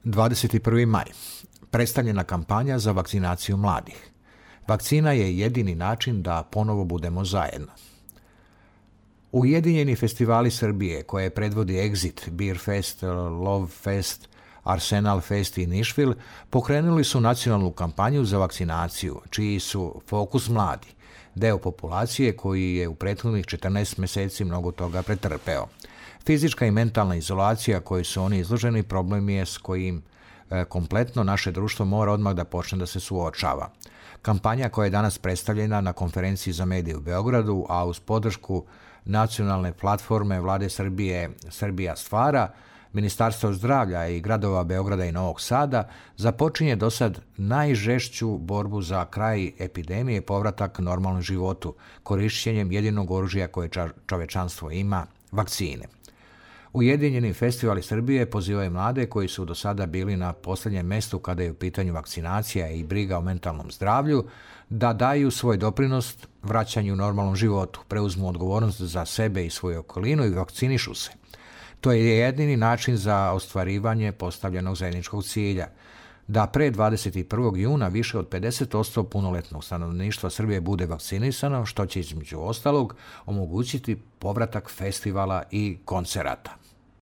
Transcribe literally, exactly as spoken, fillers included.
dvadeset prvi maj. Predstavljena kampanja za vakcinaciju mladih. Vakcina je jedini način da ponovo budemo zajedno. Ujedinjeni festivali Srbije, koje predvodi Exit, Beer Fest, Love Fest, Arsenal Fest i Nišvil, pokrenuli su nacionalnu kampanju za vakcinaciju, čiji su fokus mladi, deo populacije koji je u prethodnih četrnaest meseci mnogo toga pretrpeo. Fizička i mentalna izolacija kojoj su oni izloženi problem je s kojim e, kompletno naše društvo mora odmah da počne da se suočava. Kampanja koja je danas predstavljena na konferenciji za medije u Beogradu, a uz podršku nacionalne platforme Vlade Srbije Srbija stvara, Ministarstva zdravlja i gradova Beograda i Novog Sada, započinje do sad najžešću borbu za kraj epidemije i povratak normalnom životu, korišćenjem jedinog oružja koje čovečanstvo ima, vakcine. Ujedinjeni festivali Srbije pozivaju mlade koji su do sada bili na posljednjem mestu kada je u pitanju vakcinacija i briga o mentalnom zdravlju, da daju svoj doprinos vraćanju normalnom životu, preuzmu odgovornost za sebe i svoju okolinu i vakcinišu se. To je jedini način za ostvarivanje postavljenog zajedničkog cilja, da pre dvadeset prvog juna više od pedeset posto punoletnog stanovništva Srbije bude vakcinisano, što će između ostalog omogućiti povratak festivala i koncerata.